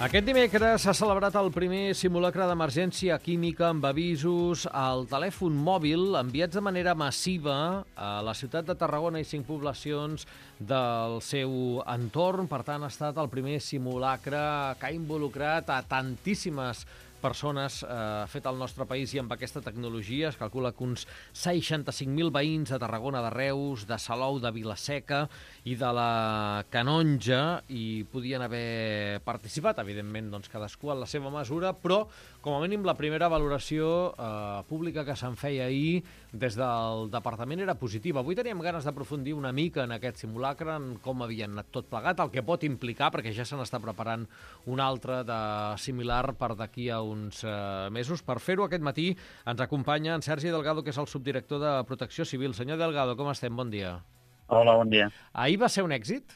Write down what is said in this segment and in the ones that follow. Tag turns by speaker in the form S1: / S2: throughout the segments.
S1: Aquest dimecres s'ha celebrat el primer simulacre d'emergència química amb avisos al telèfon mòbil enviats de manera massiva a la ciutat de Tarragona i 5 poblacions del seu entorn. Per tant, ha estat el primer simulacre que ha involucrat a tantíssimes persones fet al nostre país i amb aquesta tecnologia. Es calcula que uns 65.000 veïns de Tarragona, de Reus, de Salou, de Vila-seca i de la Canonja hi podien haver participat, evidentment, doncs, cadascú en la seva mesura, però com a mínim la primera valoració pública que se'n feia ahir des del departament era positiva. Avui teníem ganes d'aprofundir una mica en aquest simulacre, en com havien anat tot plegat, el que pot implicar, perquè ja se n'està preparant un altre de similar per d'aquí a uns mesos. Per fer-ho aquest matí ens acompanya en Sergi Delgado, que és el subdirector de Protecció Civil. Senyor Delgado, com estem? Bon dia.
S2: Hola, bon dia.
S1: Ahir va ser un èxit?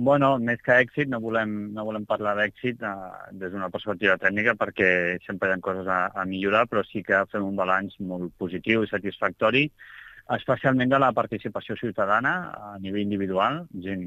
S2: Bueno, més que èxit, no volem parlar d'èxit des d'una perspectiva tècnica perquè sempre hi ha coses a millorar, però sí que fem un balanç molt positiu i satisfactori, especialment de la participació ciutadana a nivell individual,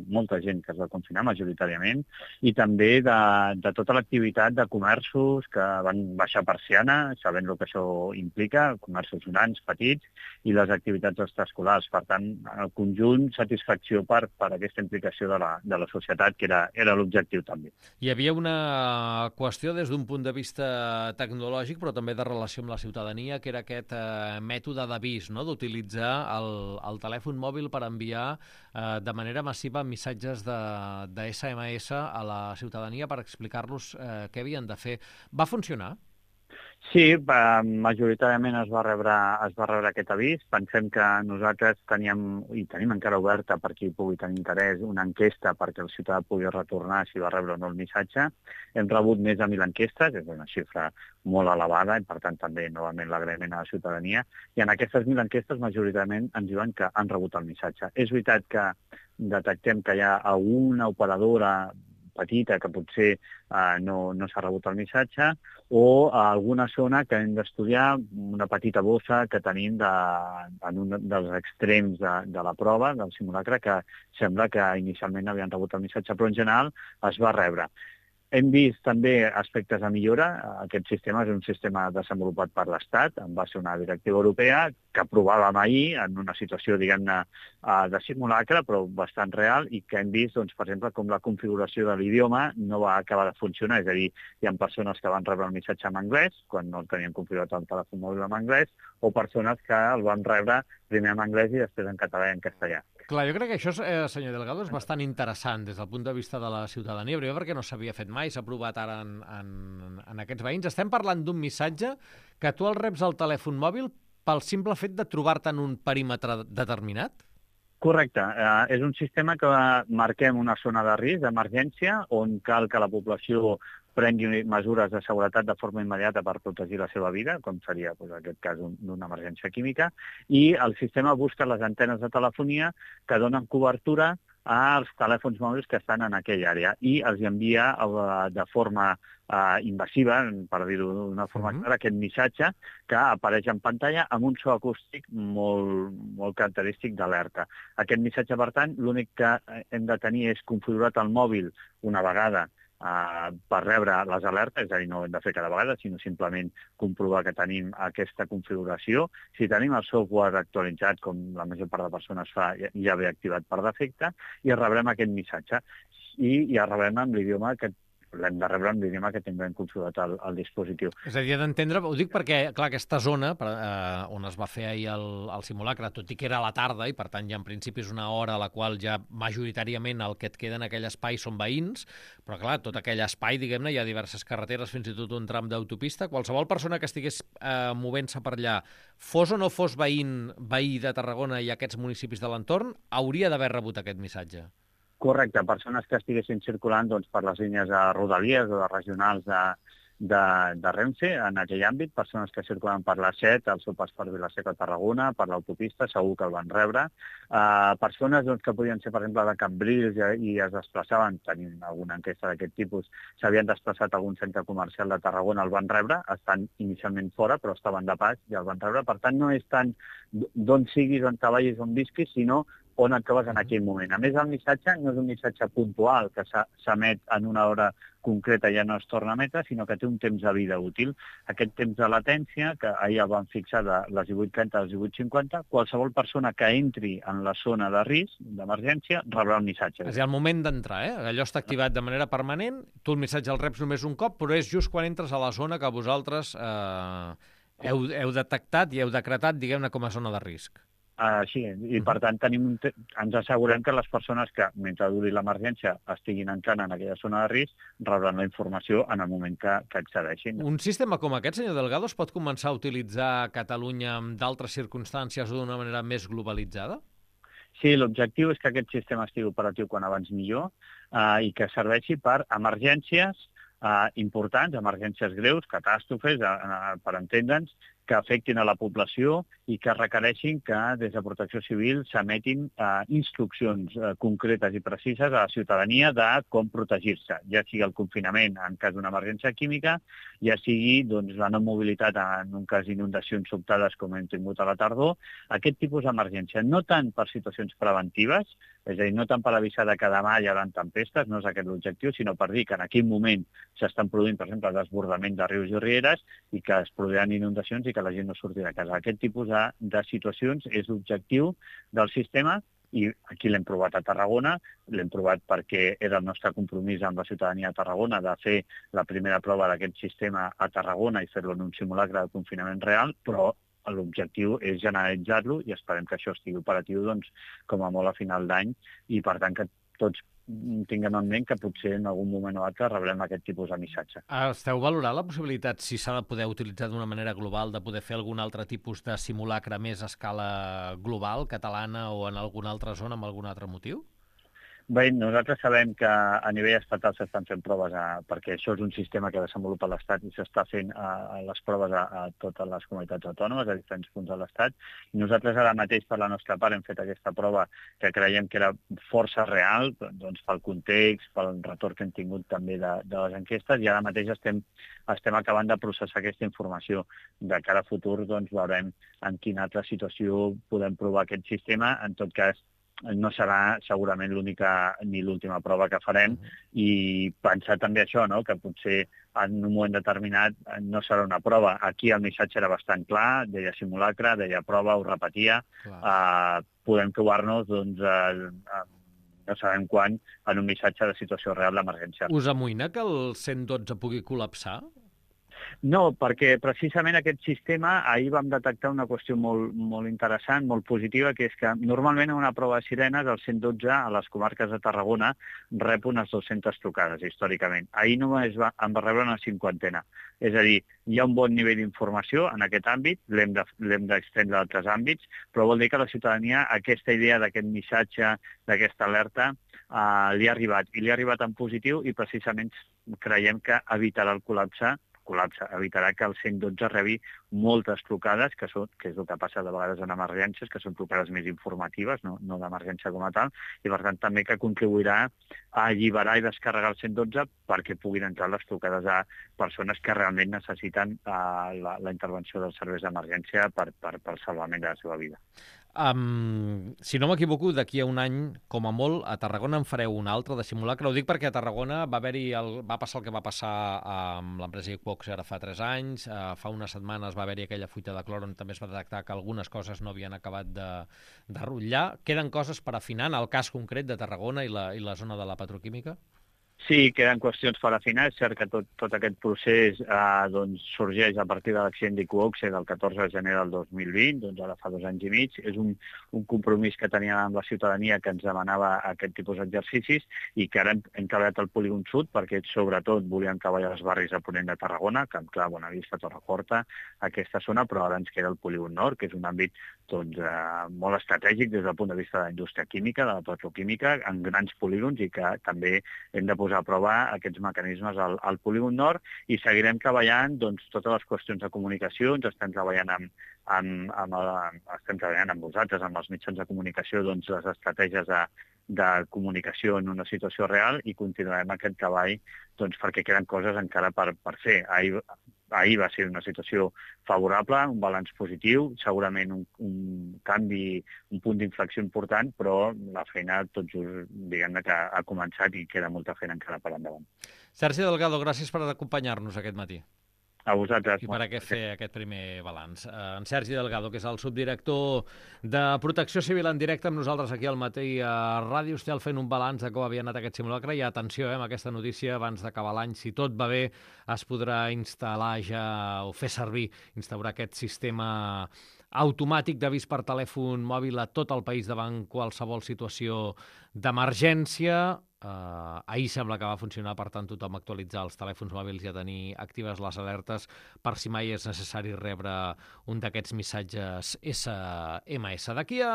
S2: molta gent que es va confinar majoritàriament, i també de tota l'activitat de comerços que van baixar persiana, sabent el que això implica, comerços grans, petits, i les activitats extraescolars. Per tant, en el conjunt, satisfacció per aquesta implicació de la societat, que era l'objectiu també.
S1: Hi havia una qüestió des d'un punt de vista tecnològic, però també de relació amb la ciutadania, que era aquest mètode d'avís, no?, d'utilitzar el telèfon mòbil per enviar de manera massiva missatges de SMS a la ciutadania per explicar-los què havien de fer. Va funcionar?
S2: Sí, majoritàriament es va rebre aquest avís. Pensem que nosaltres tenim encara oberta, per qui pugui tenir interès, una enquesta perquè el ciutadà pugui retornar si va rebre o no el missatge. Hem rebut més de 1.000 enquestes, és una xifra molt elevada, i per tant també novament l'agraïment a la ciutadania. I en aquestes 1.000 enquestes majoritàriament ens diuen que han rebut el missatge. És veritat que detectem que hi ha alguna operadora petita que potser no s'ha rebut el missatge, o a alguna zona que hem d'estudiar, una petita bossa que tenim en un dels extrems de la prova, del simulacre, que sembla que inicialment havien rebut el missatge, però en general es va rebre. Hem vist també aspectes a millora. Aquest sistema és un sistema desenvolupat per l'Estat, en base a una directiva europea, que aprovàvem ahir en una situació, diguem-ne, de simulacre, però bastant real, i que hem vist, doncs, per exemple, com la configuració de l'idioma no va acabar de funcionar. És a dir, hi ha persones que van rebre el missatge en anglès, quan no tenien configurat el telèfon mòbil en anglès, o persones que el van rebre primer en anglès i després en català i en castellà.
S1: Clar, jo crec que això, senyor Delgado, és bastant interessant des del punt de vista de la ciutadania, primer perquè no s'havia fet mai, s'ha provat ara en aquests veïns. Estem parlant d'un missatge que tu el reps al telèfon mòbil pel simple fet de trobar-te en un perímetre determinat?
S2: Correcte. És un sistema que marquem una zona de risc, d'emergència, on cal que la població prengui mesures de seguretat de forma immediata per protegir la seva vida, com seria en aquest cas d'una emergència química, i el sistema busca les antenes de telefonia que donen cobertura als telèfons mòbils que estan en aquella àrea i els envia de forma invasiva, per dir-ho d'una forma clara, aquest missatge que apareix en pantalla amb un so acústic molt característic d'alerta. Aquest missatge, per tant, l'únic que hem de tenir és configurat el mòbil una vegada per rebre les alertes, és a dir, no ho hem de fer cada vegada, sinó simplement comprovar que tenim aquesta configuració. Si tenim el software actualitzat, com la major part de persones fa, ja ve activat per defecte, i rebrem aquest missatge. I el rebrem en l'idioma que l'hem de rebre en l'idioma que tinguem configurat al dispositiu.
S1: És a dir, d'entendre, ho dic perquè, clar, aquesta zona on es va fer ahir el simulacre, tot i que era a la tarda, i per tant ja en principi és una hora a la qual ja majoritàriament el que et queda en aquell espai són veïns, però clar, tot aquell espai, diguem-ne, hi ha diverses carreteres, fins i tot un tram d'autopista. Qualsevol persona que estigués movent-se per allà, fos o no fos veí de Tarragona i aquests municipis de l'entorn, hauria d'haver rebut aquest missatge.
S2: Correcte, persones que estiguessin circulant per les línies de rodalies o de regionals de Renfe en aquell àmbit, persones que circulen per la 7, el seu pas per Vila-seca a Tarragona, per l'autopista, segur que el van rebre. Persones que podien ser, per exemple, de Cambrils i es desplaçaven, tenim alguna enquesta d'aquest tipus, s'havien desplaçat a algun centre comercial de Tarragona, el van rebre, estan inicialment fora, però estaven de pas i el van rebre. Per tant, no és tant d'on siguis, on treballis, on visquis, sinó on et trobes en aquell moment. A més, el missatge no és un missatge puntual que s'emet en una hora concreta i ja no es torna a emetre, sinó que té un temps de vida útil. Aquest temps de latència, que ahir el van fixar de les 18:30 a les 18:50, qualsevol persona que entri en la zona de risc, d'emergència, rebrà un missatge.
S1: És a dir, al moment d'entrar, allò està activat de manera permanent, tu el missatge el reps només un cop, però és just quan entres a la zona que vosaltres heu detectat i heu decretat, diguem-ne, com a zona de risc.
S2: Sí, i per tant ens assegurem que les persones que, mentre duri l'emergència, estiguin entrant en aquella zona de risc, rebran la informació en el moment que accedeixin.
S1: Un sistema com aquest, senyor Delgado, es pot començar a utilitzar a Catalunya en d'altres circumstàncies o d'una manera més globalitzada?
S2: Sí, l'objectiu és que aquest sistema estigui operatiu quan abans millor i que serveixi per emergències importants, emergències greus, catàstrofes, per entendre'ns, que afectin a la població i que requereixin que des de Protecció Civil s'emetin instruccions concretes i precises a la ciutadania de com protegir-se, ja sigui el confinament en cas d'una emergència química, ja sigui la no mobilitat en un cas d'inundacions sobtades com hem tingut a la tardor, aquest tipus d'emergència, no tant per situacions preventives, és a dir, no tant per avisar que demà hi haurà tempestes, no és aquest l'objectiu, sinó per dir que en aquell moment s'estan produint, per exemple, desbordament de rius i rieres i que es produiran inundacions i que la gent no surti de casa. Aquest tipus de situacions és l'objectiu del sistema i aquí l'hem provat a Tarragona, l'hem provat perquè era el nostre compromís amb la ciutadania de Tarragona de fer la primera prova d'aquest sistema a Tarragona i fer-lo en un simulacre de confinament real, però l'objectiu és generalitzar-lo i esperem que això estigui operatiu com a molt a final d'any i per tant que tots tinguem en ment que potser en algun moment o altre rebrem aquest tipus de missatge.
S1: Esteu valorant la possibilitat, si s'ha de poder utilitzar d'una manera global, de poder fer algun altre tipus de simulacre més a escala global, catalana o en alguna altra zona amb algun altre motiu?
S2: Bé, nosaltres sabem que a nivell estatal s'estan fent proves perquè això és un sistema que desenvolupa l'Estat i s'està fent les proves a totes les comunitats autònomes, a diferents punts de l'Estat. Nosaltres ara mateix, per la nostra part, hem fet aquesta prova que creiem que era força real, doncs pel context, pel retorn que hem tingut també de les enquestes, i ara mateix estem acabant de processar aquesta informació. De cara a futur, doncs, veurem en quina altra situació podem provar aquest sistema. En tot cas, no serà segurament l'única ni l'última prova que farem i pensar també això, no? Que potser en un moment determinat no serà una prova. Aquí el missatge era bastant clar, deia simulacre, deia prova, ho repetia. Podem trobar-nos, doncs, no sabem quan, en un missatge de situació real d'emergència.
S1: Us amoïna que el 112 pugui col·lapsar?
S2: No, perquè precisament aquest sistema, ahir vam detectar una qüestió molt interessant, molt positiva, que és que normalment en una prova de sirenes el 112 a les comarques de Tarragona rep unes 200 trucades, històricament. Ahir només en va rebre una 50. És a dir, hi ha un bon nivell d'informació en aquest àmbit, l'hem d'estendre a altres àmbits, però vol dir que a la ciutadania aquesta idea d'aquest missatge, d'aquesta alerta, li ha arribat, i li ha arribat en positiu i precisament creiem que evitarà el col·lapse, evitarà que el 112 rebi moltes trucades, que és el que passa de vegades en emergències, que són trucades més informatives, no d'emergència com a tal, i per tant també que contribuirà a alliberar i descarregar el 112 perquè puguin entrar les trucades a persones que realment necessiten la intervenció dels serveis d'emergència per salvament de la seva vida.
S1: Si no m'equivoco, d'aquí a un any, com a molt, a Tarragona en fareu un altre de simulacre. Ho dic perquè a Tarragona va passar el que va passar amb l'empresa Iqoxe ara fa 3 anys. Fa unes setmanes va haver-hi aquella fuita de clor on també es va detectar que algunes coses no havien acabat de rutllar. Queden coses per afinar en el cas concret de Tarragona i la zona de la petroquímica?
S2: Sí, queden qüestions per afinar. És cert que tot aquest procés sorgeix a partir de l'accident d'Iqoxe del 14 de gener del 2020, doncs ara fa 2 anys i mig. És un compromís que teníem amb la ciutadania que ens demanava aquest tipus d'exercicis i que ara hem treballat al polígon sud perquè sobretot volíem treballar els barris a ponent de Tarragona, Camp Clar, Bonavista, Torreforta, aquesta zona, però ara ens queda el polígon nord, que és un àmbit molt estratègic des del punt de vista de la indústria química, de la petroquímica, en grans polígons i que també hem de posar a prova aquests mecanismes al polígon nord i seguirem treballant totes les qüestions de comunicació, estem treballant amb vosaltres, amb els mitjans de comunicació, les estratègies de comunicació en una situació real i continuarem aquest treball perquè queden coses encara per fer. ahir va ser una situació favorable, un balanç positiu, segurament un canvi, un punt d'inflexió important, però la feina tot just, diguem-ne, que ha començat i queda molta feina encara per endavant.
S1: Sergi Delgado, gràcies per acompanyar-nos aquest matí.
S2: A vosaltres.
S1: I per fer aquest primer balanç. En Sergi Delgado, que és el subdirector de Protecció Civil en directe amb nosaltres aquí al Matí a Ràdio Estel, fent un balanç de com havia anat aquest simulacre. I atenció, amb aquesta notícia, abans d'acabar l'any, si tot va bé, es podrà instal·lar ja o fer servir, instaurar aquest sistema automàtic d'avís per telèfon mòbil a tot el país davant qualsevol situació d'emergència. Ahir sembla que va funcionar, per tant, tothom actualitzar els telèfons mòbils i a tenir actives les alertes per si mai és necessari rebre un d'aquests missatges SMS. D'aquí a